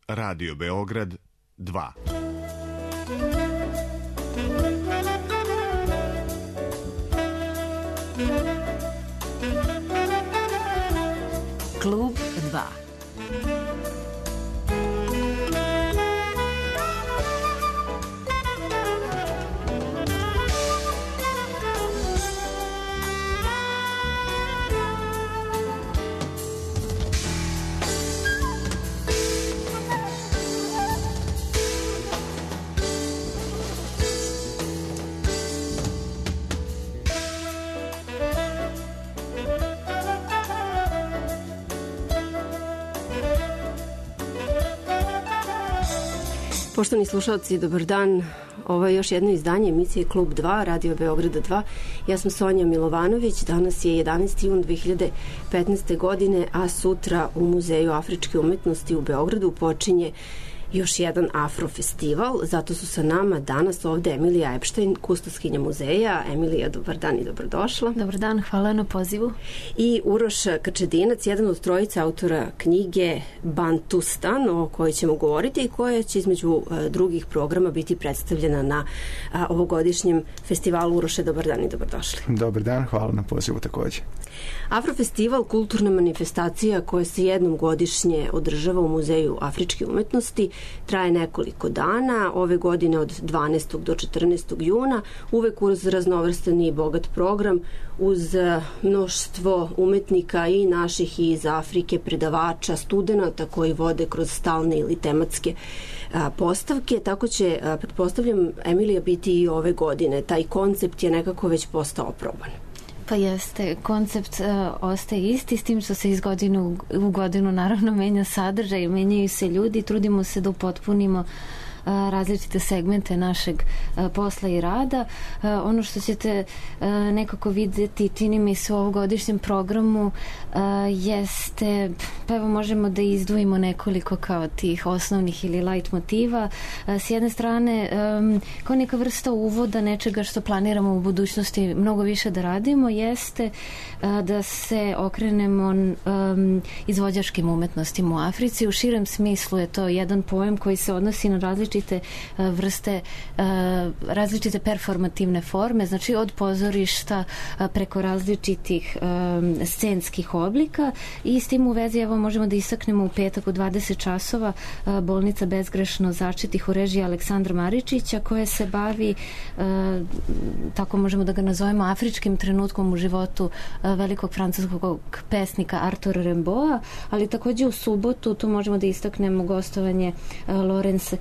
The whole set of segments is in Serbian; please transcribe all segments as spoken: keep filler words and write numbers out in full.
Radio Beograd dva. Klub dva. Poštovani slušalci, dobar dan. Ovo je još jedno izdanje emisije Klub dva, Radio Beograda dva. Ja sam Sonja Milovanović. Danas je jedanaesti jun dve hiljade petnaeste. godine, a sutra u Muzeju afričke umetnosti u Beogradu počinje još jedan afrofestival. Zato su sa nama danas ovde Emilija Epštajn, kustoskinja muzeja. Emilija, dobar dan i dobrodošla. Dobar dan, hvala na pozivu. I Uroš Krčedinac, jedan od trojice autora knjige Bantustan, o kojoj ćemo govoriti i koja će između drugih programa biti predstavljena na ovogodišnjem festivalu. Uroše, dobar dan i dobrodošli. Dobar dan, hvala na pozivu takođe. Afrofestival, kulturna manifestacija koja se jednom godišnje održava u Muzeju afričke umetnosti, traje nekoliko dana, ove godine od dvanaestog do četrnaestog juna, uvek uz raznovrstan i bogat program, uz mnoštvo umetnika i naših i iz Afrike, predavača, studenata koji vode kroz stalne ili tematske a, postavke. Tako će, a, pretpostavljam, Emilija, biti i ove godine. Taj koncept je nekako već postao oproban. Pa jeste, koncept uh, ostaje isti, s tim što se iz godinu u godinu naravno menja sadržaj, menjaju se ljudi, trudimo se da upotpunimo različite segmente našeg posla i rada. Ono što ćete nekako vidjeti, čini mi se u ovogodišnjem programu, jeste, pa evo možemo da izdvojimo nekoliko kao tih osnovnih ili light motiva. S jedne strane, kao neka vrsta uvoda nečega što planiramo u budućnosti mnogo više da radimo, jeste da se okrenemo izvođačkim umetnostima u Africi. U širem smislu je to jedan pojam koji se odnosi na različite vrste, različite performativne forme, znači od pozorišta preko različitih scenskih oblika, i s tim u vezi evo možemo da istaknemo u petak u dvadeset časova bolnica Bezgrešno začetih u režiji Aleksandra Maričića, koja se bavi, tako možemo da ga nazovemo, afričkim trenutkom u životu velikog francuskog pesnika Artura Rimbaua, ali takođe u subotu tu možemo da istaknemo gostovanje Lorenza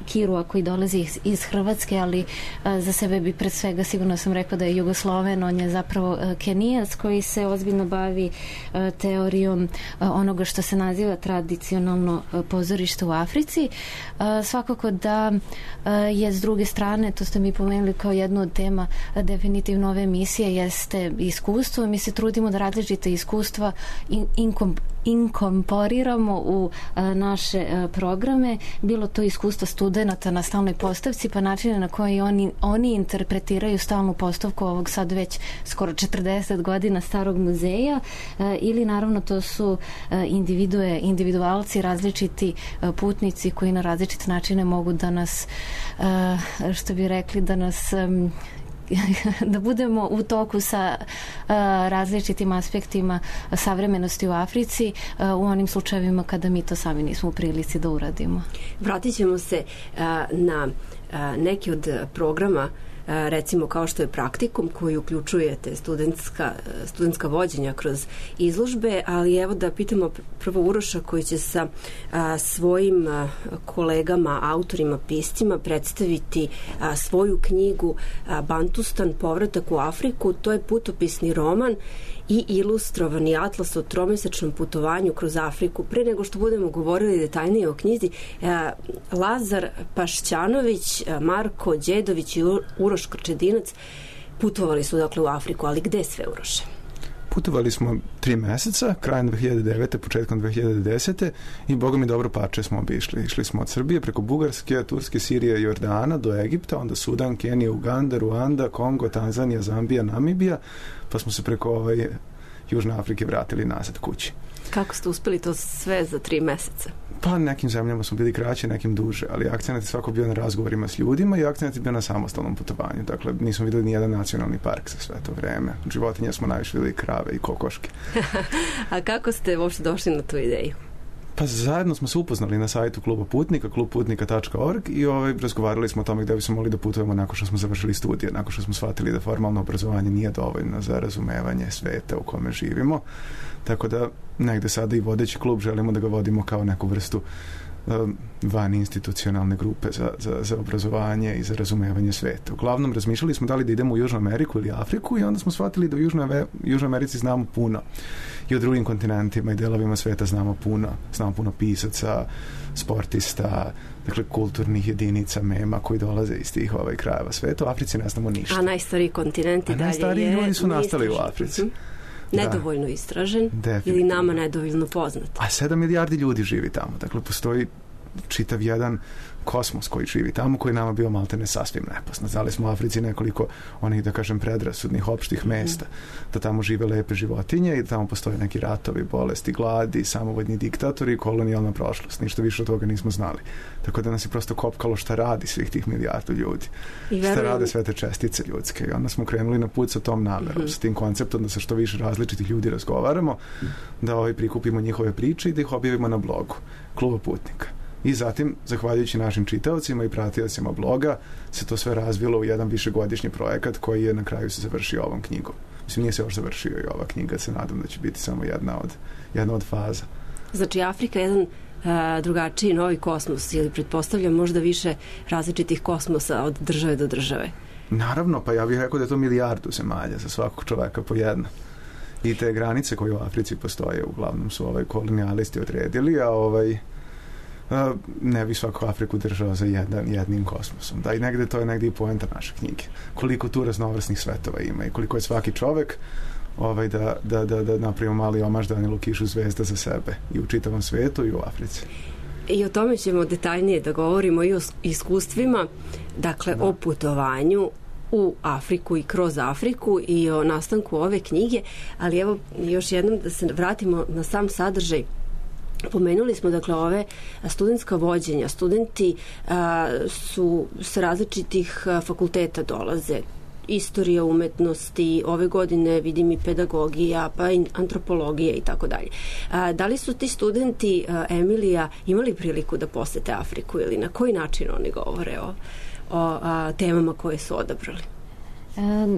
Kirua koji dolazi iz, iz Hrvatske, ali a, za sebe bi pred svega sigurno sam rekla da je Jugosloven, on je zapravo a, Kenijac koji se ozbiljno bavi a, teorijom a, onoga što se naziva tradicionalno a, pozorište u Africi. A, svakako da a, je s druge strane, to ste mi pomenuli kao jednu od tema a, definitivno ove emisije, jeste iskustvo. Mi se trudimo da različite iskustva in, inkom, inkorporiramo u a, naše a, programe, bilo to iskustva studenata na stalnoj postavci, pa načine na koji oni, oni interpretiraju stalnu postavku ovog sad već skoro četrdeset godina starog muzeja, e, ili naravno to su e, individue, individualci, različiti e, putnici koji na različite načine mogu da nas, e, što bi rekli, da nas e, da budemo u toku sa uh, različitim aspektima savremenosti u Africi, uh, u onim slučajevima kada mi to sami nismo u prilici da uradimo. Vratit ćemo se uh, na uh, neki od programa, recimo kao što je praktikum koji uključujete studentska, studentska vođenja kroz izložbe, ali evo da pitamo prvo Uroša koji će sa a, svojim a, kolegama, autorima, piscima predstaviti a, svoju knjigu a, Bantustan, povratak u Afriku. To je putopisni roman i ilustrovani atlas o tromesečnom putovanju kroz Afriku. Pre nego što budemo govorili detaljnije o knjizi, a, Lazar Pašćanović, Marko Đedović i Uroš Krčedinac putovali su dakle u Afriku, ali gde sve, Uroše? Putovali smo tri meseca, krajem dve hiljade devete. početkom dve hiljade desete. i boga mi dobro pače smo obišli. Išli smo od Srbije preko Bugarske, Turske, Sirije, Jordana do Egipta, onda Sudan, Kenija, Uganda, Ruanda, Kongo, Tanzanija, Zambija, Namibija, pa smo se preko ovaj, Južne Afrike vratili nazad kući. Kako ste uspeli to sve za tri meseca? Pa nekim zemljama smo bili kraći, nekim duže, ali akcent je svako bio na razgovorima s ljudima i akcent je bio na samostalnom putovanju. Dakle, nismo videli nijedan nacionalni park za sve to vreme. Životinje smo najviše videli krave i kokoške. A kako ste uopšte došli na tu ideju? Pa zajedno smo se upoznali na sajtu Kluba Putnika, klub putnika tačka org i ovaj, razgovarali smo o tome gde bismo mogli da putujemo nakon što smo završili studije, nakon što smo shvatili da formalno obrazovanje nije dovoljno za razumevanje sveta u kome živimo. Tako da negde sada i vodeći klub želimo da ga vodimo kao neku vrstu um, van institucionalne grupe za, za, za obrazovanje i za razumevanje sveta. Uglavnom razmišljali smo da li da idemo u Južnu Ameriku ili Afriku i onda smo shvatili da u Južnoj, Južnoj Americi znamo puno i o drugim kontinentima i delovima sveta znamo puno. Znamo puno pisaca, sportista, dakle kulturnih jedinica, mema koji dolaze iz tih ovaj krajeva sveta. U Africi ne znamo ništa. A najstariji kontinenti dalje je... A najstariji ljudi su nastali u Africi. Mm-hmm. Nedovoljno istražen ili nama nedovoljno poznat. A sedam milijardi ljudi živi tamo. Dakle, postoji čitav jedan kosmos koji živi tamo, koji nama bio maltene sasvim nepoznat. Znali smo u Africi nekoliko onih, da kažem, predrasudnih opštih mesta, da tamo žive lepe životinje i da tamo postoje neki ratovi, bolesti, gladi, samovodni diktatori i kolonijalna prošlost. Ništa više od toga nismo znali. Tako da nas je prosto kopkalo šta radi svih tih milijardu ljudi. I šta rade sve te čestice ljudske. I onda smo krenuli na put sa tom namerom, mm-hmm. sa tim konceptom da sa što više različitih ljudi razgovaramo, da ovaj prikupimo njihove priče i da ih objavimo na blogu Kluba Putnika. I zatim, zahvaljujući našim čitaocima i pratiocima bloga, se to sve razvilo u jedan višegodišnji projekat koji je na kraju se završio ovom knjigom. Mislim, nije se još završio i ova knjiga, se nadam da će biti samo jedna od, jedna od faza. Znači, Afrika je jedan uh, drugačiji novi kosmos ili pretpostavljam možda više različitih kosmosa od države do države? Naravno, pa ja bih rekao da je to milijardu zemalja za svakog čoveka po jedna. I te granice koje u Africi postoje, uglavnom su ovaj kolonijalisti odredili, a ovaj Uh, ne bi svaku Afriku držao za jedan, jednim kosmosom. Da, i negde to je negde i poenta naše knjige. Koliko tu raznovrsnih svetova ima i koliko je svaki čovek ovaj, da, da, da, da napravimo mali omaž Danilu Kišu zvezda za sebe i u čitavom svetu i u Africi. I o tome ćemo detaljnije da govorimo i o iskustvima, dakle da. O putovanju u Afriku i kroz Afriku i o nastanku ove knjige, ali evo još jednom da se vratimo na sam sadržaj. Pomenuli smo dakle ove studentska vođenja. Studenti a, su sa različitih a, fakulteta dolaze. Istorija umetnosti, ove godine vidim i pedagogija, pa i antropologija i tako dalje. Da li su ti studenti, a, Emilija, imali priliku da posete Afriku ili na koji način oni govore o, o a, temama koje su odabrali?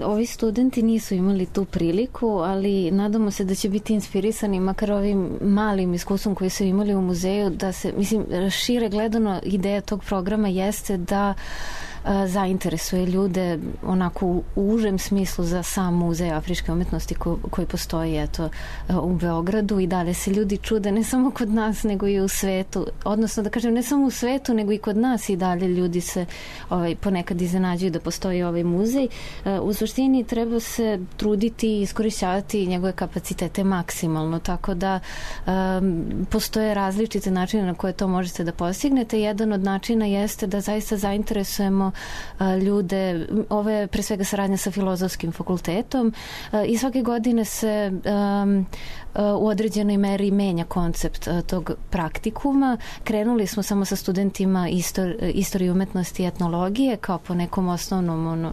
Ovi studenti nisu imali tu priliku, ali nadamo se da će biti inspirisani makar ovim malim iskustvom koji su imali u muzeju, da se, mislim, šire gledano ideja tog programa jeste da zainteresuje ljude onako u užem smislu za sam muzej afričke umetnosti ko, koji postoji eto u Beogradu i dalje se ljudi čude ne samo kod nas nego i u svetu, odnosno da kažem ne samo u svetu nego i kod nas i dalje ljudi se ovaj, ponekad iznenađuju da postoji ovaj muzej. U suštini treba se truditi i iskorišćavati njegove kapacitete maksimalno, tako da um, postoje različite načine na koje to možete da postignete. Jedan od načina jeste da zaista zainteresujemo ljude, ovo je pre svega saradnja sa Filozofskim fakultetom i svake godine se um, u određenoj meri menja koncept tog praktikuma. Krenuli smo samo sa studentima istor, istorije umetnosti i etnologije kao po nekom osnovnom ono,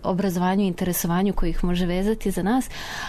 obrazovanju i interesovanju koji ih može vezati za nas,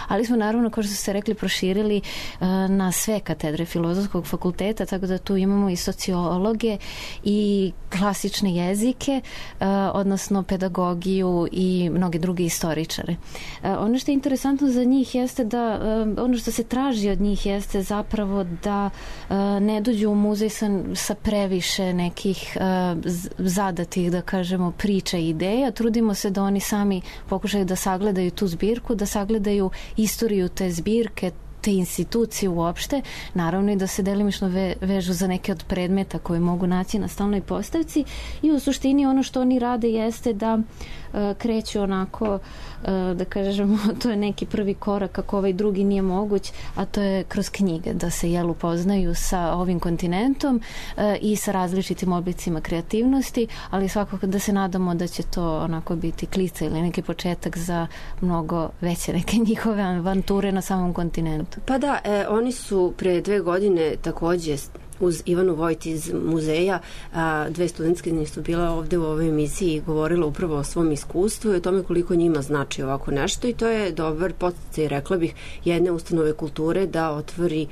ali smo naravno, kao što ste rekli, proširili uh, na sve katedre Filozofskog fakulteta, tako da tu imamo i sociologe i klasične jezike, uh, odnosno pedagogiju i mnoge druge istoričare. Uh, ono što je interesantno za njih jeste da uh, ono što se traži od njih jeste zapravo da uh, ne dođu u muzej sa, sa previše nekih uh, zadatih, da kažemo, priča i ideja. Trudimo se da oni sami pokušaju da sagledaju tu zbirku, da sagledaju istoriju te zbirke, te institucije uopšte, naravno i da se delimično ve, vežu za neke od predmeta koje mogu naći na stalnoj postavci i u suštini ono što oni rade jeste da uh, kreću onako, uh, da kažemo, to je neki prvi korak kako ovaj drugi nije moguć, a to je kroz knjige, da se jel upoznaju sa ovim kontinentom uh, i sa različitim oblicima kreativnosti, ali svakako da se nadamo da će to onako biti klica ili neki početak za mnogo veće neke njihove avanture na samom kontinentu. momentu? Pa da, e, oni su pre dve godine takođe uz Ivanu Vojt iz muzeja, a, dve studentske su bila ovde u ovoj emisiji i govorila upravo o svom iskustvu i o tome koliko njima znači ovako nešto i to je dobar podsticaj, rekla bih, jedne ustanove kulture da otvori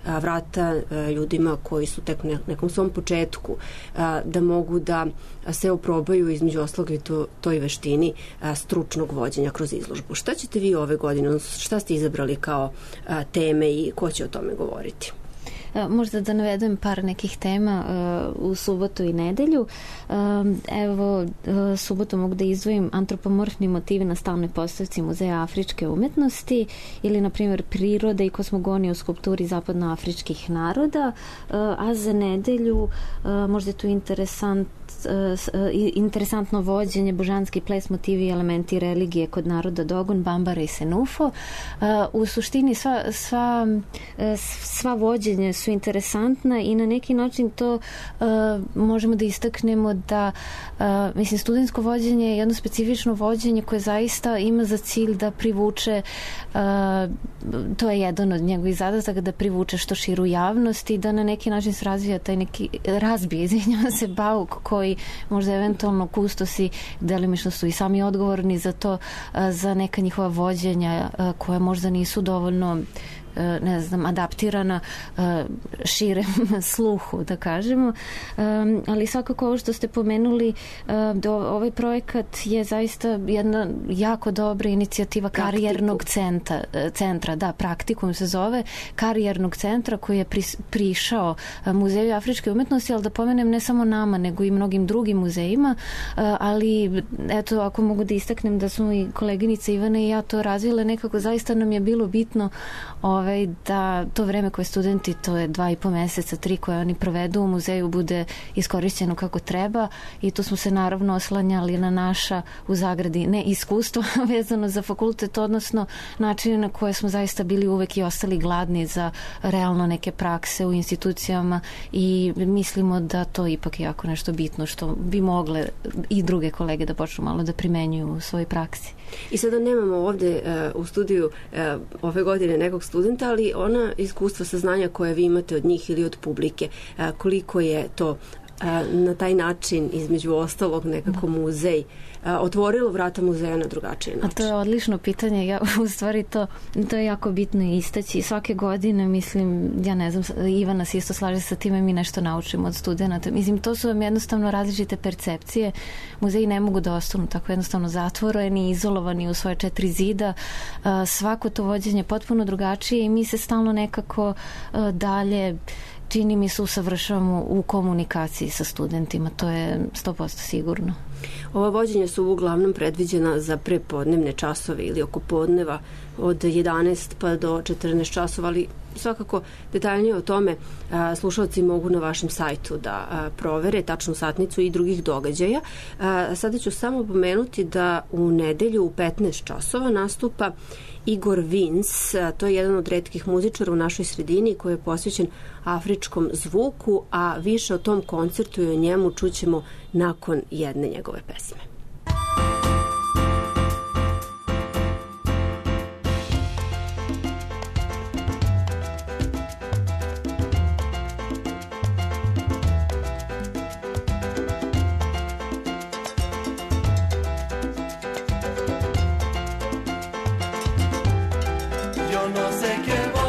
a, vrata a, ljudima koji su tek u nekom svom početku, a, da mogu da se oprobaju između ostalog i to, toj veštini a, stručnog vođenja kroz izložbu. Šta ćete vi ove godine, šta ste izabrali kao a, teme i ko će o tome govoriti? Možda da navedem par nekih tema uh, u subotu i nedelju. Uh, evo, uh, subotu mogu da izdvojim antropomorfni motivi na stalnoj postavci Muzeja afričke umetnosti ili, na primjer, prirode i kosmogonije u skulpturi zapadnoafričkih naroda, uh, a za nedelju uh, možda je tu interesant interesantno vođenje, božanski ples, motivi i elementi religije kod naroda Dogon, Bambara i Senufo. U suštini sva, sva, sva vođenja su interesantna i na neki način to uh, možemo da istaknemo da uh, mislim, studentsko vođenje je jedno specifično vođenje koje zaista ima za cilj da privuče uh, to je jedan od njegovih zadataka, da privuče što širu javnost i da na neki način se razvija taj neki razbije, izvinjava se, bauk koji možda eventualno kustosi delimično su i sami odgovorni za to, za neka njihova vođenja koja možda nisu dovoljno ne znam, adaptirana širem sluhu, da kažemo. Ali svakako ovo što ste pomenuli, ovaj projekat je zaista jedna jako dobra inicijativa Praktikum. karijernog centra, centra, da, Praktikum se zove, karijernog centra koji je prišao Muzeju afričke umetnosti, ali da pomenem ne samo nama, nego i mnogim drugim muzejima, ali eto, ako mogu da istaknem da smo i koleginica Ivana i ja to razvile, nekako zaista nam je bilo bitno ovaj, da to vreme koje studenti, to je dva i po meseca, tri koje oni provedu u muzeju, bude iskorišćeno kako treba i tu smo se naravno oslanjali na naša, u zagradi, ne iskustvo vezano za fakultet, odnosno načine na koje smo zaista bili uvek i ostali gladni za realno neke prakse u institucijama i mislimo da to ipak je jako nešto bitno što bi mogle i druge kolege da počnu malo da primenjuju u svojoj praksi. I sada nemamo ovde uh, u studiju uh, ove godine nekog studenta, ali ona iskustva, saznanja koje vi imate od njih ili od publike, uh, koliko je to uh, na taj način, između ostalog, nekako muzej uh, otvorilo vrata muzeja na drugačiji način? A to je odlično pitanje. Ja, u stvari to, to je jako bitno istaći. Svake godine, mislim, ja ne znam, Ivana se isto slaže sa time, mi nešto naučimo od studenta. Mislim, to su vam jednostavno različite percepcije. Muzeji ne mogu da ostanu tako jednostavno zatvoreni, izolovani u svoje četiri zida. Uh, svako to vođenje je potpuno drugačije i mi se stalno nekako uh, dalje čini mi se usavršavamo u komunikaciji sa studentima, to je sto posto sigurno. Ova vođenja su uglavnom predviđena za prepodnevne časove ili oko podneva od jedanaest pa do četrnaest časova, ali svakako detaljnije o tome a, slušalci mogu na vašem sajtu da a, provere tačnu satnicu i drugih događaja. A, sada ću samo pomenuti da u nedelju u petnaest časova nastupa Igor Vins, a, to je jedan od retkih muzičara u našoj sredini koji je posvećen afričkom zvuku, a više o tom koncertu i o njemu čućemo nakon jedne njegove pesme. Yo no sé qué voy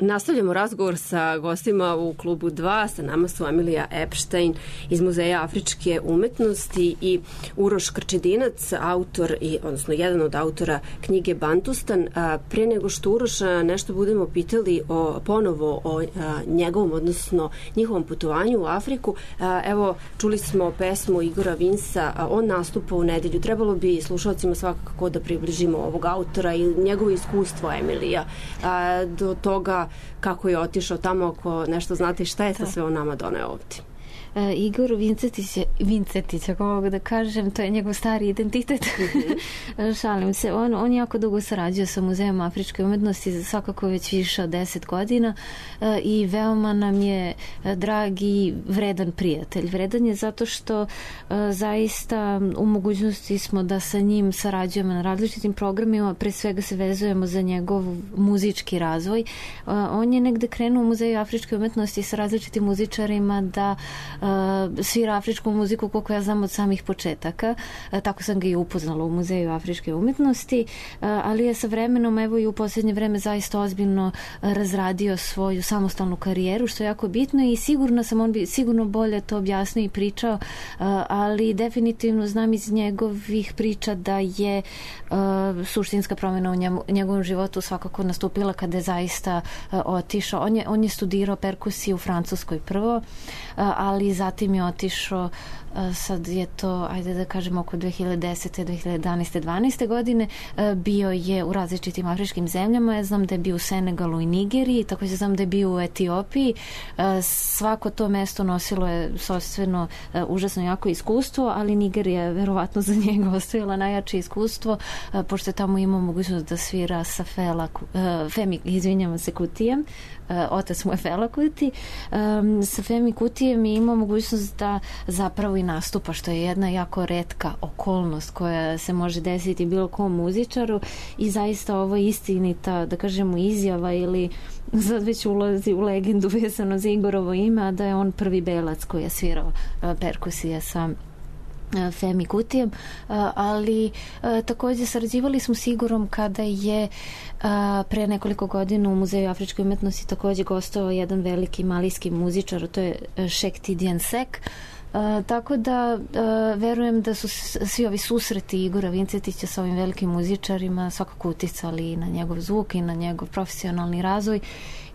Nastavljamo razgovor sa gostima u klubu dva. Sa nama su Emilija Epstein iz Muzeja afričke umetnosti i Uroš Krčedinac, autor, i, odnosno jedan od autora knjige Bantustan. A, pre nego što Uroša nešto budemo pitali o, ponovo o a, njegovom, odnosno njihovom putovanju u Afriku, a, evo, čuli smo pesmu Igora Vinsa, a, on nastupa u nedelju. Trebalo bi slušalcima svakako da približimo ovog autora i njegovo iskustvo, Emilija, a, do toga kako je otišao tamo, ako nešto znate šta je sa sve on nama doneo ovdje. Uh, Igor Vincetić, Vincetić, ako mogu da kažem, to je njegov stari identitet. Mm-hmm. Šalim se. On, on jako dugo sarađuje sa Muzejom afričke umetnosti, svakako već više od deset godina uh, i veoma nam je uh, drag i vredan prijatelj. Vredan je zato što uh, zaista u mogućnosti smo da sa njim sarađujemo na različitim programima, pre svega se vezujemo za njegov muzički razvoj. Uh, on je negde krenuo u Muzeju afričke umetnosti sa različitim muzičarima da Uh, svira afričku muziku, koliko ja znam, od samih početaka. Uh, tako sam ga i upoznala u Muzeju afričke umetnosti, uh, ali je sa vremenom, evo i u posljednje vreme, zaista ozbiljno uh, razradio svoju samostalnu karijeru, što je jako bitno i sigurno sam, on bi sigurno bolje to objasnio i pričao, uh, ali definitivno znam iz njegovih priča da je uh, suštinska promjena u njemu, njegovom životu svakako nastupila kada je zaista uh, otišao. On je, on je studirao perkusiju u Francuskoj prvo, uh, ali zatim je otišao, sad je to, ajde da kažemo, oko dve hiljade desete, dve hiljade jedanaeste, dvanaeste godine, bio je u različitim afričkim zemljama. Ja znam da je bio u Senegalu i Nigeriji, također znam da je bio u Etiopiji. Svako to mesto nosilo je sopstveno užasno jako iskustvo, ali Nigerija je verovatno za njega ostavila najjače iskustvo, pošto je tamo imao mogućnost da svira sa Fela, Femi, izvinjamo se, Kutijem. Otac mu je Fela Kuti. Sa Femi Kutijem je imao mogućnost da zapravo i nastupa, što je jedna jako retka okolnost koja se može desiti bilo kom muzičaru i zaista ovo je istinita, da kažemo, izjava ili sad već ulazi u legendu vezano za Igorovo ime, a da je on prvi belac koji je svirao perkusije sa Femi Kutijem, ali također sarađivali smo s Igorom kada je pre nekoliko godina u Muzeju afričke umetnosti također gostovao jedan veliki malijski muzičar, to je Sheikh Tidiane Seck. Uh, tako da uh, verujem da su svi ovi susreti Igora Vincetića sa ovim velikim muzičarima svakako uticali na njegov zvuk i na njegov profesionalni razvoj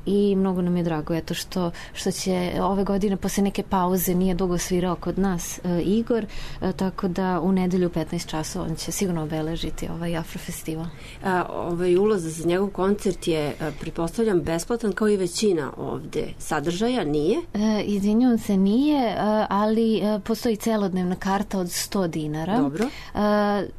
i mnogo nam je drago eto što, što će ove godine posle neke pauze, nije dugo svirao kod nas uh, Igor, uh, tako da u nedelju u petnaest časova on će sigurno obeležiti ovaj Afrofestival. A, ovaj ulaz za njegov koncert je, pretpostavljam, besplatan kao i većina ovde sadržaja, nije? Uh, izvinjavam se, nije, uh, ali uh, postoji celodnevna karta od sto dinara. Dobro. Uh,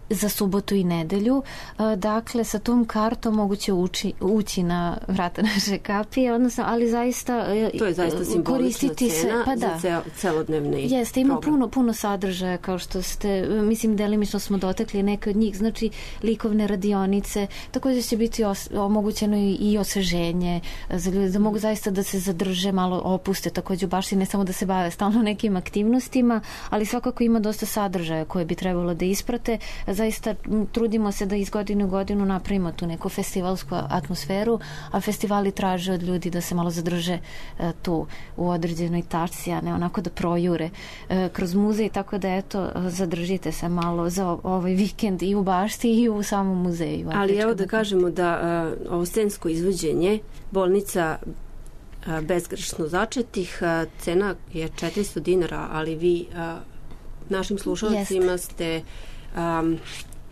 za subotu i nedelju. Uh, dakle, sa tom kartom moguće ući, ući na vrata naše kapije, odnosno, ali zaista to je zaista simbolična cena se, pa da. za celodnevni Jeste, ima program. puno, puno sadržaja, kao što ste, mislim, delimično smo dotakli neke od njih, znači likovne radionice, također će biti os, omogućeno i, i osveženje za ljude, da mogu zaista da se zadrže, malo opuste, također baš i ne samo da se bave stalno nekim aktivnostima, ali svakako ima dosta sadržaja koje bi trebalo da isprate. Zaista trudimo se da iz godine u godinu napravimo tu neku festivalsku atmosferu, a festivali traže od ljudi da se malo zadrže e, tu u određenoj tačci, a ne onako da projure e, kroz muzej, tako da eto, zadržite se malo za ovaj vikend i u bašti i u samom muzeju. Ali evo da kažemo da uh, ovo scensko izvođenje, bolnica uh, bezgrešno začetih, uh, cena je četiristo dinara, ali vi uh, našim slušalcima Jest. ste um,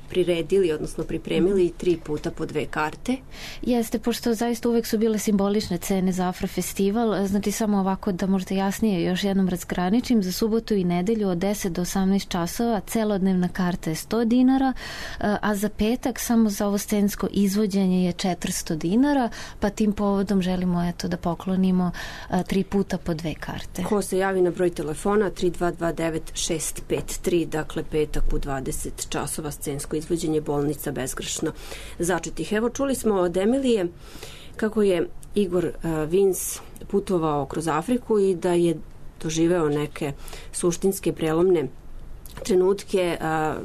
priredili, odnosno pripremili tri puta po dve karte. Jeste, pošto zaista uvek su bile simbolične cene za Afrofestival, znači samo ovako da možda jasnije još jednom razgraničim, za subotu i nedelju od deset do osamnaest časova celodnevna karta je sto dinara, a za petak samo za ovo scensko izvođenje je četiristo dinara, pa tim povodom želimo eto da poklonimo tri puta po dve karte. Ko se javi na broj telefona tri dva dva devet šest pet tri, dakle petak u dvadeset časova scensko izvođenje bolnica bezgrešno začetih. Evo, čuli smo od Emilije kako je Igor uh, Vins putovao kroz Afriku i da je doživeo neke suštinske prelomne trenutke uh,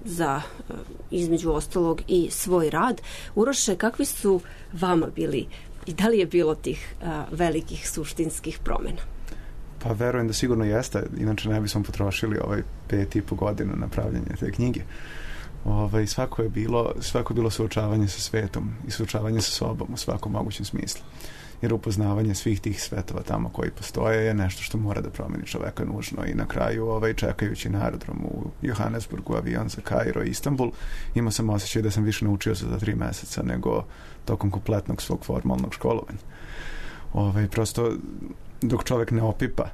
za uh, između ostalog i svoj rad. Uroše, kakvi su vama bili i da li je bilo tih a, velikih suštinskih promjena? Pa verujem da sigurno jeste, inače ne bismo potrošili ovaj pet i po godina na pravljanje te knjige. Ovaj, svako je bilo, svako je bilo suočavanje sa svetom i suočavanje sa sobom u svakom mogućem smislu. Jer upoznavanje svih tih svetova tamo koji postoje je nešto što mora da promeni čoveka nužno i na kraju ovaj, čekajući na aerodromu u Johannesburgu avion za Kairo i Istanbul, imao sam osjećaj da sam više naučio za ta tri meseca nego tokom kompletnog svog formalnog školovanja. Ovaj, prosto dok čovek ne opipa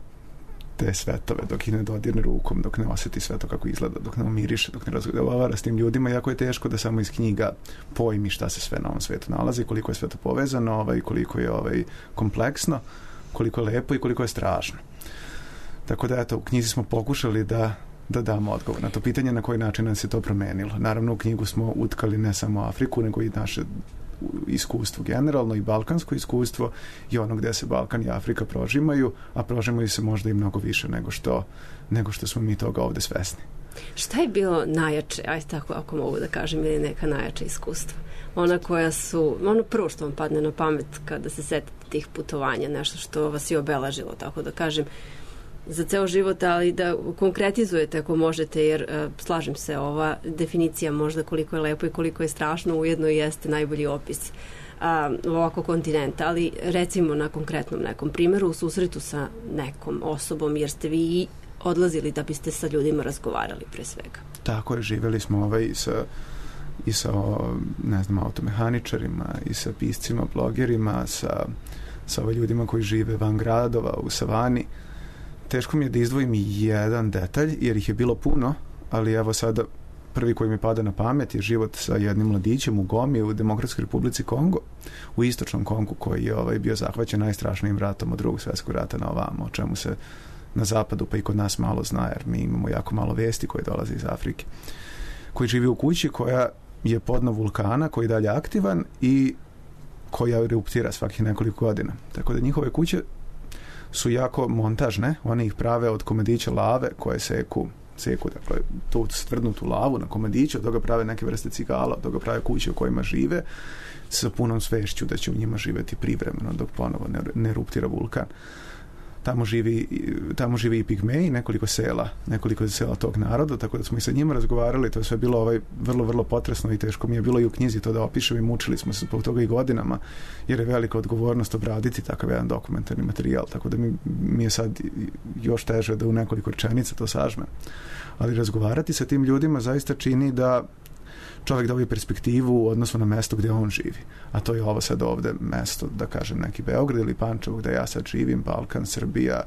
te svetove, dok ih ne dodirne rukom, dok ne osjeti sve to kako izgleda, dok ne umiriše, dok ne razgovara s tim ljudima, jako je teško da samo iz knjiga pojmi šta se sve na ovom svetu nalazi, koliko je sve to povezano, ovaj, koliko je ovaj, kompleksno, koliko je lepo i koliko je strašno. Tako da, eto, u knjizi smo pokušali da, da damo odgovor na to pitanje na koji način nas je to promenilo. Naravno, u knjigu smo utkali ne samo Afriku, nego i naše iskustvo generalno i balkansko iskustvo i ono gde se Balkan i Afrika prožimaju, a prožimaju se možda i mnogo više nego što, nego što smo mi toga ovde svesni. Šta je bilo najjače, ajde tako ako mogu da kažem, ili neka najjača iskustva? Ona koja su, ono prvo što vam padne na pamet kada se setite tih putovanja, nešto što vas je obeležilo, tako da kažem, za ceo život, ali da konkretizujete ako možete, jer uh, slažem se, ova definicija možda koliko je lepo i koliko je strašno ujedno i jeste najbolji opis uh, ovako kontinenta, ali recimo na konkretnom nekom primjeru u susretu sa nekom osobom, jer ste vi odlazili da biste sa ljudima razgovarali pre svega. Tako je, živjeli smo ovaj sa i sa, ne znam, automehaničarima i sa piscima, blogerima, sa, sa ovaj ljudima koji žive van gradova, u savani. Teško mi je da izdvojim jedan detalj, jer ih je bilo puno, ali evo sada prvi koji mi pada na pamet je život sa jednim mladićem u Gomi u Demokratskoj Republici Kongo, u istočnom Kongu, koji je ovaj, bio zahvaćen najstrašnijim ratom od drugog svjetskog rata na ovamo, o čemu se na zapadu pa i kod nas malo zna, jer mi imamo jako malo vesti koje dolaze iz Afrike. Koji živi u kući koja je podno vulkana, koji je dalje aktivan i koja eruptira svakih nekoliko godina. Tako da njihove kuće su jako montažne, one ih prave od komadića lave koje seku, seku dakle, tu stvrdnutu lavu na komadiću, od toga prave neke vrste cigala, od toga prave kuće u kojima žive sa punom svešću da će u njima živeti privremeno dok ponovo ne, ne eruptira vulkan. Tamo živi, tamo živi i pigmeji, nekoliko sela, nekoliko sela tog naroda, tako da smo i sa njima razgovarali, to je sve bilo ovaj, vrlo, vrlo potresno i teško mi je bilo i u knjizi to da opišem i mučili smo se zbog toga i godinama, jer je velika odgovornost obraditi takav jedan dokumentarni materijal, tako da mi, mi je sad još teže da u nekoliko rečenica to sažmem. Ali razgovarati sa tim ljudima zaista čini da čovjek dobije perspektivu u odnosu na mesto gdje on živi. A to je ovo sad ovde mesto, da kažem, neki Beograd ili Pančevo gdje ja sad živim, Balkan, Srbija,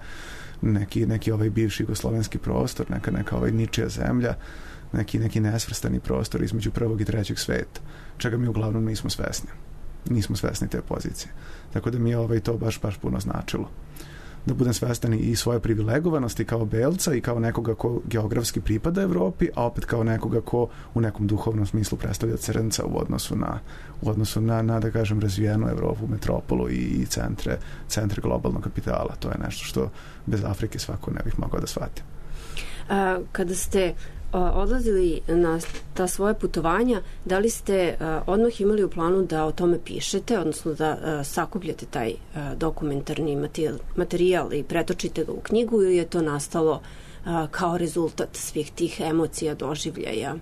neki, neki ovaj bivši jugoslovenski prostor, neka, neka ovaj ničija zemlja, neki, neki nesvrstani prostor između prvog i trećeg sveta, čega mi uglavnom nismo svesni. Nismo svesni te pozicije. Tako da mi je ovaj to baš, baš puno značilo. Da budem svestan i svoje privilegovanosti kao belca i kao nekoga ko geografski pripada Evropi, a opet kao nekoga ko u nekom duhovnom smislu predstavlja crnca u odnosu na, u odnosu na, na da kažem, razvijenu Evropu, metropolu i centre, centre globalnog kapitala. To je nešto što bez Afrike svako ne bih mogao da shvati. A, kada ste odlazili na ta svoje putovanja, da li ste uh, odmah imali u planu da o tome pišete, odnosno da uh, sakupljate taj uh, dokumentarni materijal, materijal i pretočite ga u knjigu, ili je to nastalo uh, kao rezultat svih tih emocija, doživljaja?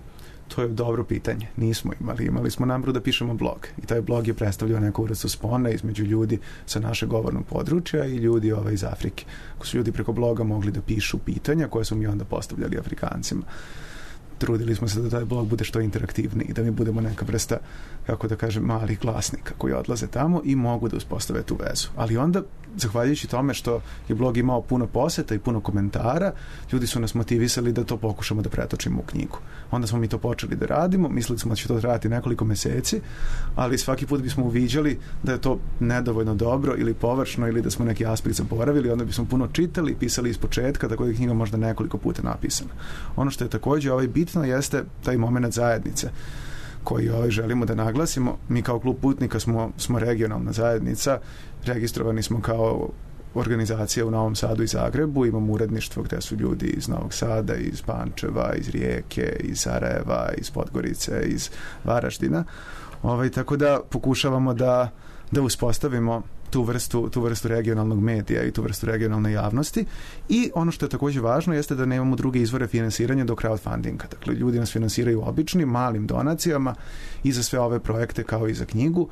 To je dobro pitanje. Nismo imali. Imali smo namjeru da pišemo blog. I taj blog je predstavljao neku vrstu spona između ljudi sa našeg govornog područja i ljudi ove iz Afrike. Ko su ljudi preko bloga mogli da pišu pitanja koje su mi onda postavljali Afrikancima. Trudili smo se da taj blog bude što interaktivniji, da mi budemo neka vrsta, kako da kažem, malih glasnika koji odlaze tamo i mogu da uspostave tu vezu. Ali onda, zahvaljujući tome što je blog imao puno poseta i puno komentara, ljudi su nas motivisali da to pokušamo da pretočimo u knjigu. Onda smo mi to počeli da radimo, mislili smo da će to trajati nekoliko meseci, ali svaki put bismo uviđali da je to nedovoljno dobro ili površno ili da smo neki aspekt zaboravili, onda bismo puno čitali i pisali iz početka, tako da je knjiga možda nekoliko puta napisana. Ono što je također ovaj bitno jeste taj moment zajednice koji ovaj želimo da naglasimo. Mi kao klub putnika smo, smo regionalna zajednica, registrovani smo kao organizacija u Novom Sadu i Zagrebu, imamo uredništvo gde su ljudi iz Novog Sada, iz Pančeva, iz Rijeke, iz Sarajeva, iz Podgorice, iz Varaždina. Ovaj, tako da pokušavamo da, da uspostavimo tu vrstu, tu vrstu regionalnog medija i tu vrstu regionalne javnosti. I ono što je također važno jeste da nemamo druge izvore finansiranja do crowdfundinga. Dakle, ljudi nas finansiraju običnim, malim donacijama i za sve ove projekte kao i za knjigu.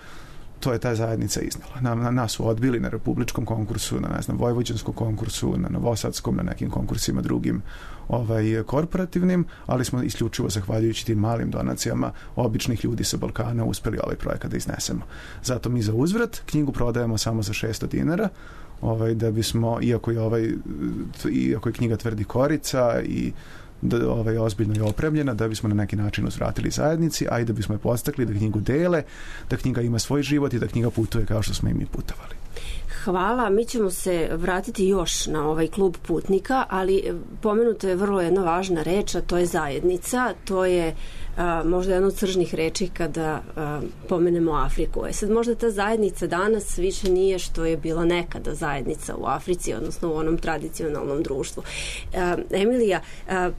To je ta zajednica iznala. Na, na, nas su odbili na republičkom konkursu, na, ne znam, vojvođanskom konkursu, na novosadskom, na nekim konkursima drugim ovaj, korporativnim, ali smo isključivo zahvaljujući tim malim donacijama običnih ljudi sa Balkana uspeli ovaj projekat da iznesemo. Zato mi za uzvrat knjigu prodajemo samo za šesto dinara, ovaj, da bismo, iako je, ovaj, iako je knjiga tvrdi korica i da ovaj, ozbiljno je opremljena, da bismo na neki način uzvratili zajednici, a i da bismo je postakli da knjigu dele, da knjiga ima svoj život i da knjiga putuje kao što smo i mi putovali. Hvala, mi ćemo se vratiti još na ovaj klub putnika, ali pomenuto je vrlo jedna važna reč, a to je zajednica, to je a, možda jedna od sržnih reči kada a, pomenemo Afriku. E sad možda ta zajednica danas više nije što je bila nekada zajednica u Africi, odnosno u onom tradicionalnom društvu. A, Emilija, a,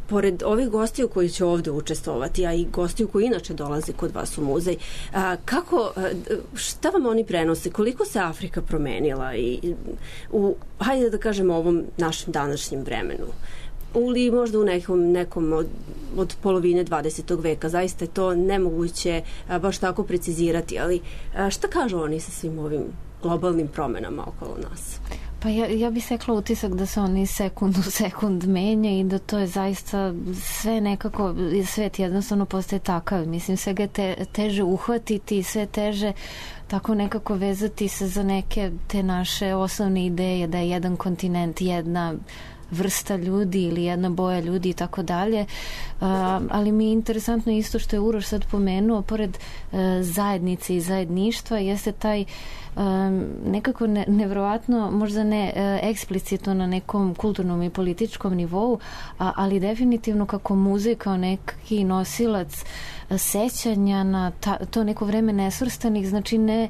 pored ovih gostiju koji će ovde učestvovati, a i gostiju koji inače dolaze kod vas u muzej, a, kako, a, šta vam oni prenose? Koliko se Afrika promenila i u, hajde da kažemo, ovom našem današnjem vremenu? Ili možda u nekom, nekom od, od polovine dvadesetog veka. Zaista je to nemoguće a, baš tako precizirati, ali a, šta kažu oni sa svim ovim globalnim promenama okolo nas? Pa ja, ja bih sekla utisak da se oni sekund u sekund menja i da to je zaista sve nekako, svet jednostavno postaje takav. Mislim, sve ga je te, teže uhvatiti, sve teže tako nekako vezati se za neke te naše osnovne ideje da je jedan kontinent, jedna vrsta ljudi ili jedna boja ljudi i tako dalje. Ali mi je interesantno isto što je Uroš sad pomenuo, pored uh, zajednice i zajedništva, jeste taj um, nekako ne, nevjerovatno, možda ne uh, eksplicitno na nekom kulturnom i političkom nivou, a, ali definitivno kako muzej kao neki nosilac sećanja na ta, to neko vreme nesvrstanih, znači ne,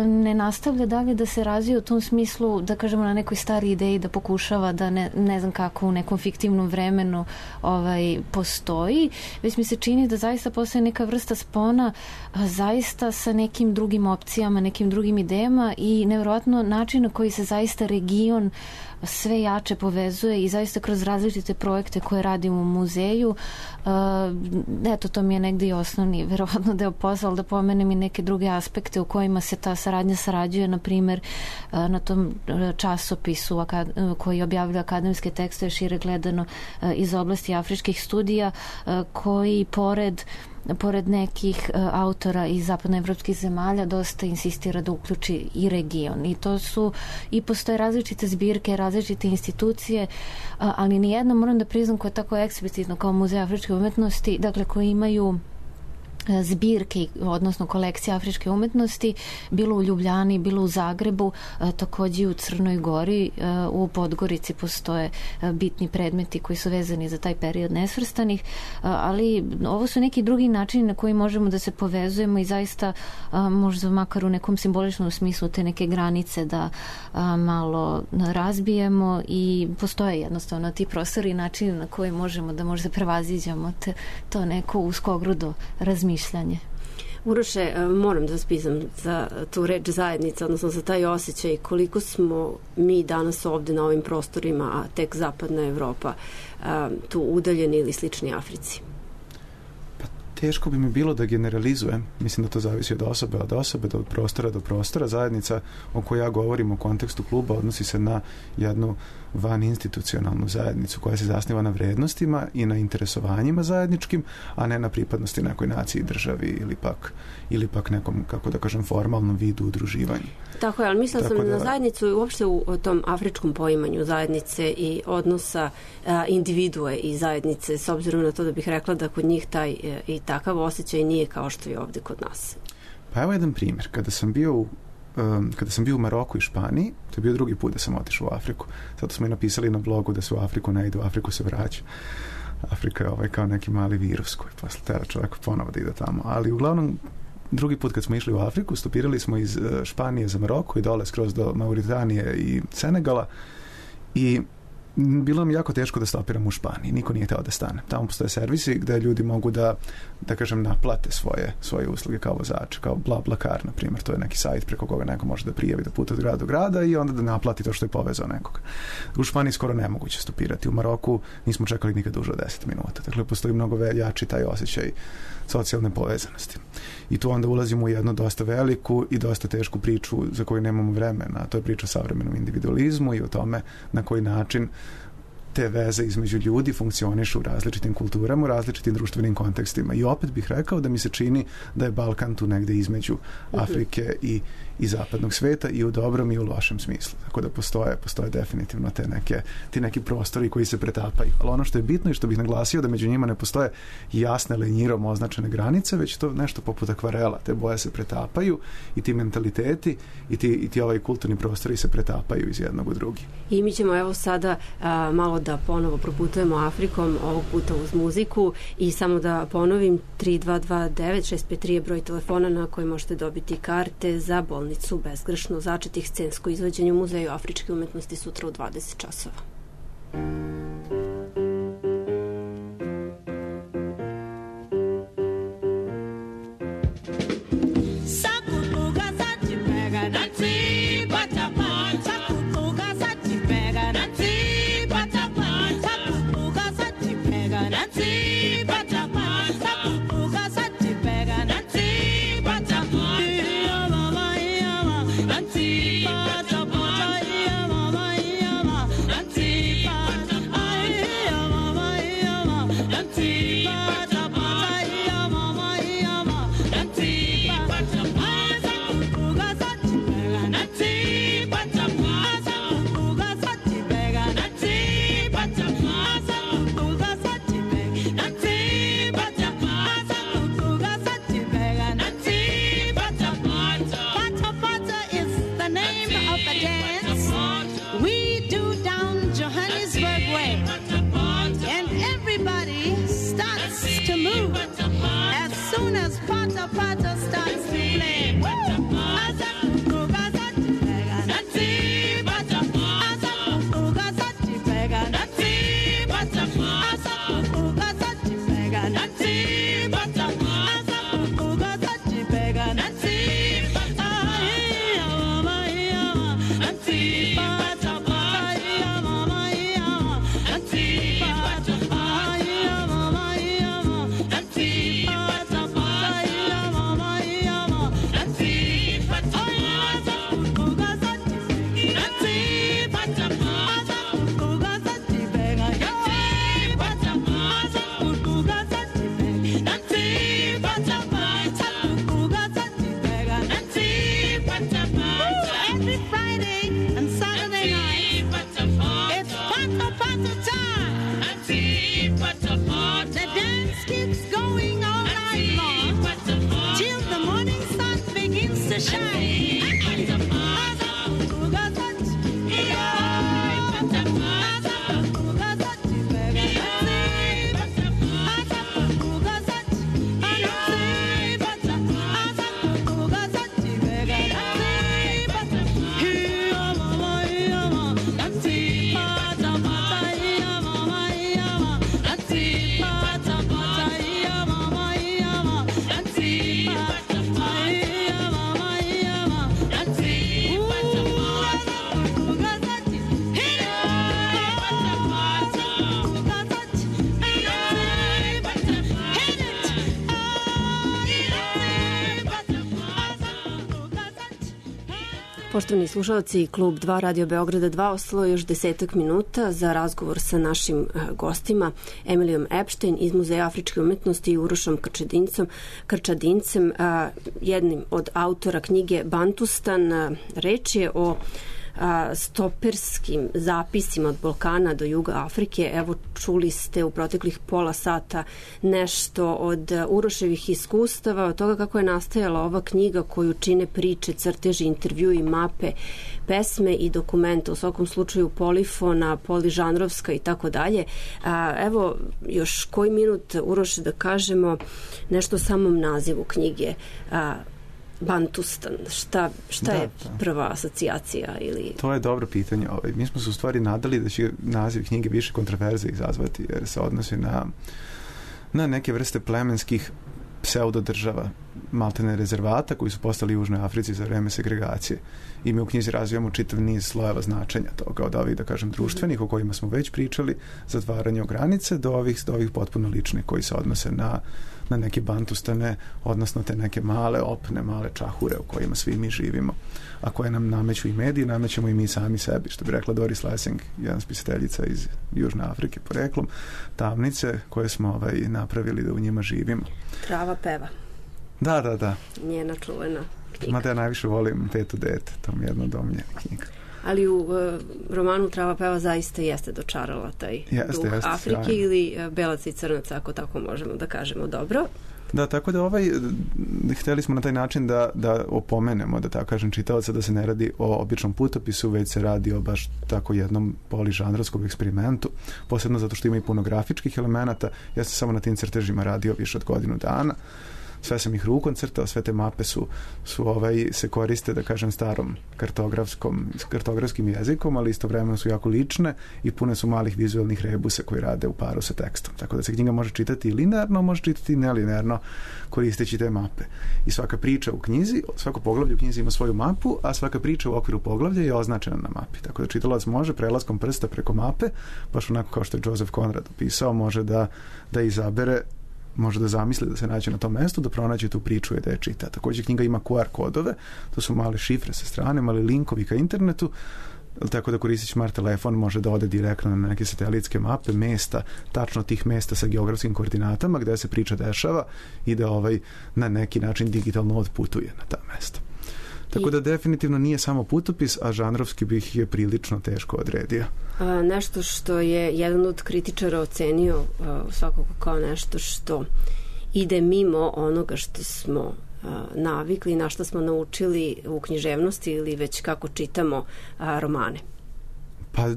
ne nastavlja dalje da se razvija u tom smislu, da kažemo na nekoj stari ideji da pokušava da ne, ne znam kako u nekom fiktivnom vremenu ovaj, postoji, već mi se čini da zaista postoje neka vrsta spona a, zaista sa nekim drugim opcijama, nekim drugim idejama i nevjerojatno način na koji se zaista region sve jače povezuje i zaista kroz različite projekte koje radimo u muzeju. Uh, eto, to mi je negdje i osnovni verovatno deo posla, ali da pomenem i neke druge aspekte u kojima se ta saradnja sarađuje, na primjer uh, na tom časopisu akad- koji objavlja akademske tekstove šire gledano uh, iz oblasti afričkih studija, uh, koji pored pored nekih uh, autora iz zapadnoevropskih zemalja dosta insistira da uključi i region. I to su, i postoje različite zbirke, različite institucije, uh, ali nijedno, moram da priznam, koje je tako eksplicitno kao Muzej afričke umetnosti, dakle koji imaju zbirke, odnosno kolekcije afričke umetnosti, bilo u Ljubljani, bilo u Zagrebu, takođe i u Crnoj Gori, u Podgorici postoje bitni predmeti koji su vezani za taj period nesvrstanih, ali ovo su neki drugi načini na koji možemo da se povezujemo i zaista možda makar u nekom simboličnom smislu te neke granice da malo razbijemo i postoje jednostavno ti prostori i načini na koji možemo da možda prevaziđamo te, to neko uskogrudo razmišljanje. Uroše, moram da spitam za tu reč zajednica, odnosno za taj osjećaj koliko smo mi danas ovde na ovim prostorima, a tek zapadna Evropa, tu udaljeni ili slični Africi. Pa teško bi mi bilo da generalizujem. Mislim da to zavisi od osobe od osobe, od prostora do prostora. Zajednica o kojoj ja govorim u kontekstu kluba odnosi se na jednu van institucionalnu zajednicu koja se zasniva na vrednostima i na interesovanjima zajedničkim, a ne na pripadnosti nekoj naciji, državi ili pak, ili pak nekom, kako da kažem, formalnom vidu udruživanja. Tako je, ali mislila sam da, na zajednicu i uopšte u, u tom afričkom poimanju zajednice i odnosa a, individue i zajednice, s obzirom na to da bih rekla da kod njih taj e, i takav osjećaj nije kao što je ovde kod nas. Pa evo jedan primjer. Kada sam bio u Um, kada sam bio u Maroku i Španiji, to je bio drugi put da sam otišao u Afriku. Zato smo i napisali na blogu da se u Afriku ne ide, u Afriku se vraća. Afrika je ovaj kao neki mali virus koji posle tera čovjek ponovo da ide tamo. Ali uglavnom, drugi put kad smo išli u Afriku, stopirali smo iz Španije za Maroko i dole skroz do Mauritanije i Senegala i bilo mi jako teško da stopiram u Španiji. Niko nije hteo da stane. Tamo postoje servisi gde ljudi mogu da, da kažem, naplate svoje, svoje usluge kao vozač, kao BlaBlaCar, na primjer. To je neki sajt preko koga neko može da prijavi da puta od grada do grada i onda da naplati to što je povezao nekoga. U Španiji skoro nemoguće stopirati. U Maroku nismo čekali nikad duže od deset minuta. Dakle, postoji mnogo jači taj osjećaj socijalne povezanosti. I tu onda ulazimo u jednu dosta veliku i dosta tešku priču za koju nemamo vremena. To je priča o savremenom individualizmu i o tome na koji način te veze između ljudi funkcionišu u različitim kulturama, u različitim društvenim kontekstima. I opet bih rekao da mi se čini da je Balkan tu negde između Afrike i, i zapadnog sveta i u dobrom i u lošem smislu. Tako da postoje, postoje definitivno te neke, ti neki prostori koji se pretapaju. Ali ono što je bitno i što bih naglasio da među njima ne postoje jasne lenjirom označene granice, već to nešto poput akvarela. Te boje se pretapaju i ti mentaliteti i ti, i ti ovaj kulturni prostori se pretapaju iz jednog u drugi. I mi ćemo evo sada a, malo da ponovo proputujemo Afrikom, ovog puta uz muziku i samo da ponovim tri dva dva devet šest pet tri je broj telefona na koji možete dobiti karte za bolnicu bezgrešno začetih scensko izvođenje u Muzeju afričke umetnosti sutra u dvadeset časova. Poštovani slušalci, Klub dva Radio Beograda dva, ostalo još desetak minuta za razgovor sa našim gostima, Emilijom Epstein iz Muzeja afričke umetnosti i Urošom Krčadincem, Krčadincem, jednim od autora knjige Bantustan. Reč je o stoperskim zapisima od Balkana do juga Afrike. Evo, čuli ste u proteklih pola sata nešto od Uroševih iskustava, od toga kako je nastajala ova knjiga koju čine priče, crteži, intervjui, mape, pesme i dokumente, u svakom slučaju polifona, poližanrovska i tako dalje. Evo, još koji minut, Uroše, da kažemo nešto o samom nazivu knjige. Bantustan, šta, šta Da, je da. prva asocijacija? Ili... To je dobro pitanje. Ovaj. Mi smo se u stvari nadali da će naziv knjige više kontroverze izazvati, jer se odnosi na, na neke vrste plemenskih pseudodržava, maltene rezervata koji su postali u Južnoj Africi za vreme segregacije. I mi u knjizi razvijamo čitav niz slojeva značenja toga, od ovih, da kažem, društvenih o kojima smo već pričali, zatvaranje o granice, do ovih, do ovih potpuno ličnih koji se odnose na, na neke bantustane, odnosno te neke male opne, male čahure u kojima svi mi živimo, a koje nam nameću i mediji, namećemo i mi sami sebi, što bi rekla Doris Lessing, jedna spisateljica iz Južne Afrike poreklom, tamnice koje smo ovaj, napravili da u njima živimo. Trava peva. Da, da, da. Njena čuvena knjiga. Mada ja najviše volim Petu dete, to mi je jedna domljena knjiga. Ali u uh, romanu Trava peva zaista jeste dočarala taj jeste, duh jeste, Afrike sjajno. Ili uh, belaca i crnaca, ako tako možemo da kažemo. Dobro. Da, tako da ovaj, hteli smo na taj način da, da opomenemo, da tako kažem, čitaoca da se ne radi o običnom putopisu, već se radi o baš tako jednom poližanrovskom eksperimentu, posebno zato što ima i puno grafičkih elemenata. Ja sam samo na tim crtežima radio više od godinu dana. Sve sam ih rukom crtao, sve te mape su, su ovaj, se koriste, da kažem, starom kartografskom, kartografskim jezikom, ali istovremeno su jako lične i pune su malih vizualnih rebusa koji rade u paru sa tekstom. Tako da se knjiga može čitati i linearno, može čitati i nelinearno koristeći te mape. I svaka priča u knjizi, svako poglavlje u knjizi ima svoju mapu, a svaka priča u okviru poglavlja je označena na mapi. Tako da čitalac može prelaskom prsta preko mape, baš onako kao što je Joseph Conrad opisao, može da, da izabere, može da zamisli da se nađe na tom mestu, da pronađe tu priču i da je čita. Također knjiga ima Q R kodove, to su male šifre sa strane, mali linkovi ka internetu, tako da koristić smart telefon može da ode direktno na neke satelitske mape, mesta, tačno tih mesta sa geografskim koordinatama gde se priča dešava i da ovaj na neki način digitalno odputuje na ta mesta. Tako da definitivno nije samo putopis, a žanrovski bih je prilično teško odredio. A, nešto što je jedan od kritičara ocenio a, svakako kao nešto što ide mimo onoga što smo a, navikli, na što smo naučili u književnosti ili već kako čitamo a, romane. Pa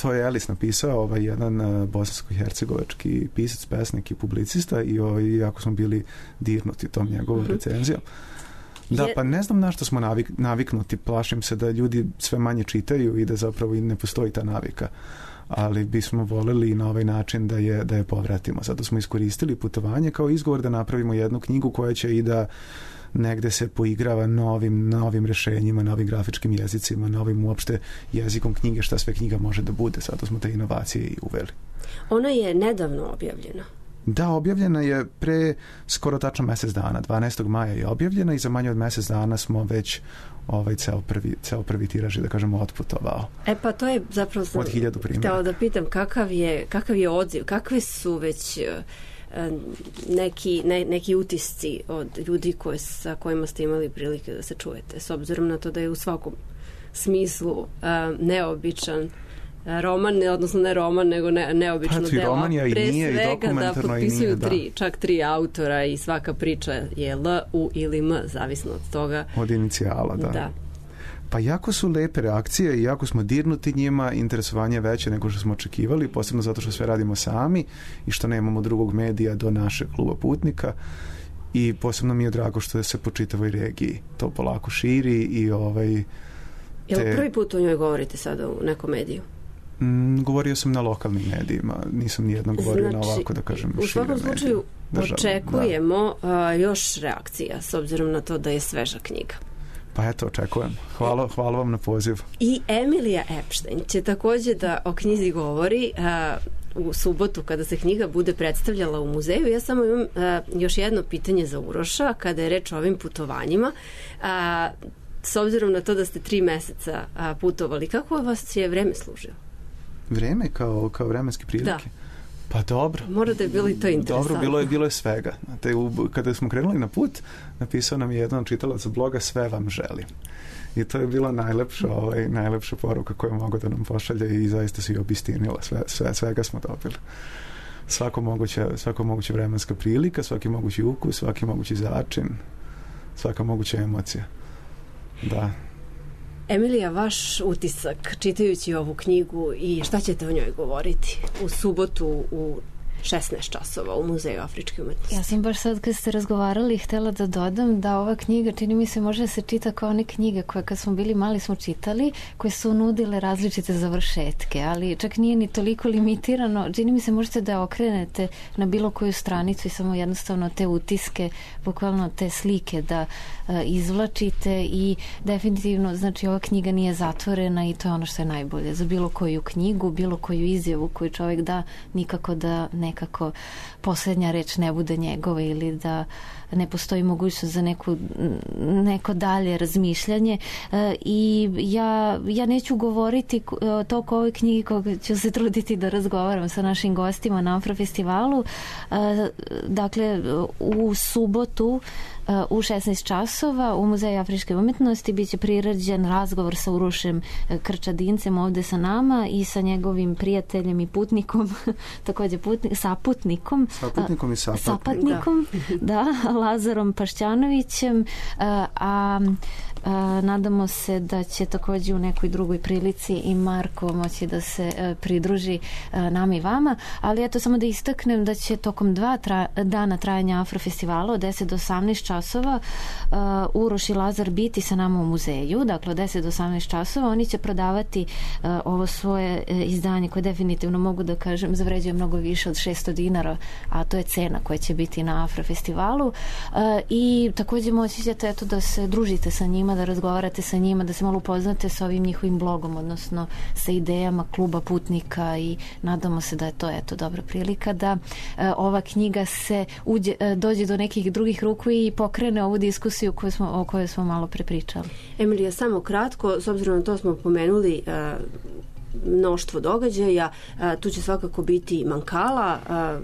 to je Elis napisao, ovaj jedan uh, bosansko-hercegovački pisac, pesnik i publicista i ovaj, jako smo bili dirnuti tom njegovom uh-huh. recenzijom. Da, pa ne znam na što smo navik, naviknuti, plašim se da ljudi sve manje čitaju i da zapravo i ne postoji ta navika, ali bismo voleli na ovaj način da je, da je povratimo. Zato smo iskoristili putovanje kao izgovor da napravimo jednu knjigu koja će i da negde se poigrava novim, novim rešenjima, novim grafičkim jezicima, novim uopšte jezikom knjige, šta sve knjiga može da bude. Zato smo te inovacije i uveli. Ona je nedavno objavljena. Da, objavljena je pre skoro tačno mesec dana, dvanaestog maja je objavljena i za manje od mesec dana smo već ovaj ceo prvi, ceo prvi tiraž, da kažemo, otputovao. E pa to je zapravo sam od hiljadu primjera. Htjela da pitam kakav je, kakav je odziv, kakve su već neki, ne, neki utisci od ljudi koje, sa kojima ste imali prilike da se čujete, s obzirom na to da je u svakom smislu uh, neobičan roman, ne, odnosno ne roman, nego ne, neobično pa, delo. I pre nije, svega i da potpisuju nije, tri, da. čak tri autora i svaka priča je L, U ili M, zavisno od toga. Od inicijala, da. Da. Pa jako su lepe reakcije i jako smo dirnuti njima, interesovanje je veće nego što smo očekivali, posebno zato što sve radimo sami i što nemamo drugog medija do našeg kluba putnika i posebno mi je drago što se po čitavoj regiji to polako širi i ovaj... Te... Jel prvi put o njoj govorite sada u nekom mediju? Mm, govorio sam na lokalnim medijima, nisam nijednom govorio znači, na ovako, da kažem, u svakom slučaju državno, očekujemo da. uh, još reakcija, s obzirom na to da je sveža knjiga. Pa eto, očekujem. Hvala, hvala vam na poziv. I Emilija Epstein će također da o knjizi govori uh, u subotu kada se knjiga bude predstavljala u muzeju. Ja samo imam uh, još jedno pitanje za Uroša kada je reč o ovim putovanjima. Uh, s obzirom na to da ste tri meseca uh, putovali, kako vas je vreme služilo? Vreme kao, kao vremenske prilike? Da. Pa dobro. Mora da je bilo i to interesantno. Dobro, bilo je, bilo je svega. Te, u, kada smo krenuli na put, napisao nam je jedan čitalac bloga sve vam želim. I to je bila najlepša, ovaj, najlepša poruka koju mogu da nam pošalje i zaista se i obistinila. Sve, sve, svega smo dobili. Svako moguće, svako moguće vremenska prilika, svaki mogući ukus, svaki mogući začin, svaka moguća emocija. Da. Emilija, vaš utisak čitajući ovu knjigu i šta ćete o njoj govoriti u subotu u šesnaest časova u Muzeju afričke umetnosti. Ja sam baš sad kad ste razgovarali htela da dodam da ova knjiga, čini mi se, može da se čita kao one knjige koje kad smo bili mali smo čitali, koje su nudile različite završetke, ali čak nije ni toliko limitirano. Čini mi se možete da okrenete na bilo koju stranicu i samo jednostavno te utiske, bukvalno te slike da uh, izvlačite i definitivno, znači ova knjiga nije zatvorena i to je ono što je najbolje. Za bilo koju knjigu, bilo koju izjavu koju čovjek da, nikako da nekako posljednja reč ne bude njegova ili da ne postoji mogućnost za neku, neko dalje razmišljanje. E, i ja, ja neću govoriti toliko o ovoj knjigi koga ću se truditi da razgovaram sa našim gostima na Afrofestivalu. E, dakle, u subotu u šesnaest časova u Muzeju afričke umetnosti biće priređen razgovor sa Urošem Krčadincem ovde sa nama i sa njegovim prijateljem i putnikom, takođe putnik, saputnikom, saputnikom i sapatnikom, sapatnikom da. da, Lazarom Pašćanovićem, a, a A, nadamo se da će također u nekoj drugoj prilici i Marko moći da se a, pridruži a, nama i vama, ali eto samo da istaknem da će tokom dva tra, dana trajanja Afrofestivala od deset do osamnaest časova a, Uroš i Lazar biti sa nama u muzeju, dakle od deset do osamnaest časova oni će prodavati a, ovo svoje a, izdanje koje definitivno mogu da kažem zavređuje mnogo više od šesto dinara, a to je cena koja će biti na Afrofestivalu a, i također moći ćete eto da se družite sa njima, da razgovarate sa njima, da se malo upoznate sa ovim njihovim blogom, odnosno sa idejama kluba putnika i nadamo se da je to eto dobra prilika da e, ova knjiga se uđe, e, dođe do nekih drugih ruku i pokrene ovu diskusiju koju smo, o kojoj smo malo prepričali. Emilija, samo kratko, s obzirom na to smo pomenuli e, mnoštvo događaja, a, tu će svakako biti Mankala, a,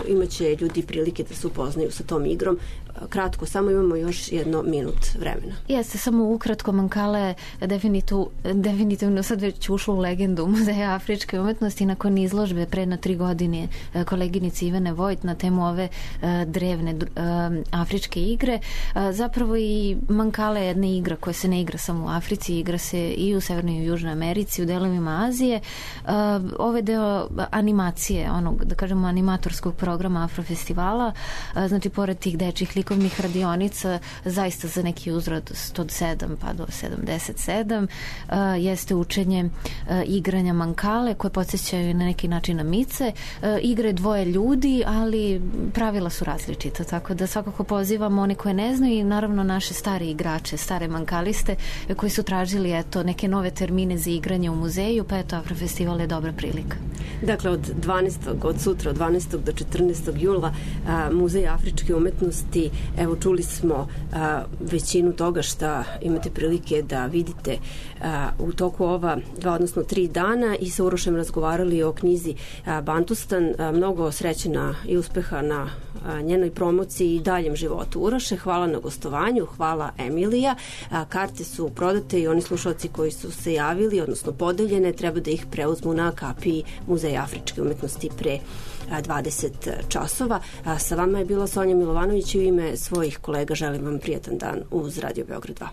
imaće ljudi prilike da se upoznaju sa tom igrom. A, kratko, samo imamo još jedno minut vremena. Jeste, samo ukratko, Mankala je definitiv, definitivno sad već ušlo u legendu Muzeja afričke umetnosti nakon izložbe pre na tri godine koleginice Ivane Vojt na temu ove a, drevne a, afričke igre. A, zapravo i Mankala je jedna igra koja se ne igra samo u Africi, igra se i u Severnoj i u Južnoj Americi, u delovima Azije. Uh, ove deo animacije, onog, da kažemo, animatorskog programa Afrofestivala, uh, znači, pored tih dečjih likovnih radionica, zaista za neki uzrast sto sedam pa do sedamdeset sedam, uh, jeste učenje uh, igranja Mankale, koje podsjećaju na neki način na mice. Uh, igre dvoje ljudi, ali pravila su različita, tako da svakako pozivamo one koje ne znaju i naravno naše stare igrače, stare mankaliste, koji su tražili eto neke nove termine za igranje u muzeju, pa eto, Afrofestival je dobra prilika. Dakle, od dvanaestog od sutra, od dvanaestog do četrnaestog jula, a, Muzej afričke umetnosti, evo, čuli smo a, većinu toga šta imate prilike da vidite a, u toku ova dva, odnosno tri dana i sa Urošem razgovarali o knjizi a, Bantustan. A, mnogo srećena i uspeha na a, njenoj promociji i daljem životu. Uroše, hvala na gostovanju, hvala Emilija. A, karte su prodate i oni slušalci koji su se javili, odnosno podeljene, treba da ih preuzmu na kapiji Muzeja afričke umetnosti pre dvadeset časova. A, sa vama je bila Sonja Milovanović i u ime svojih kolega želim vam prijatan dan uz Radio Beograd dva.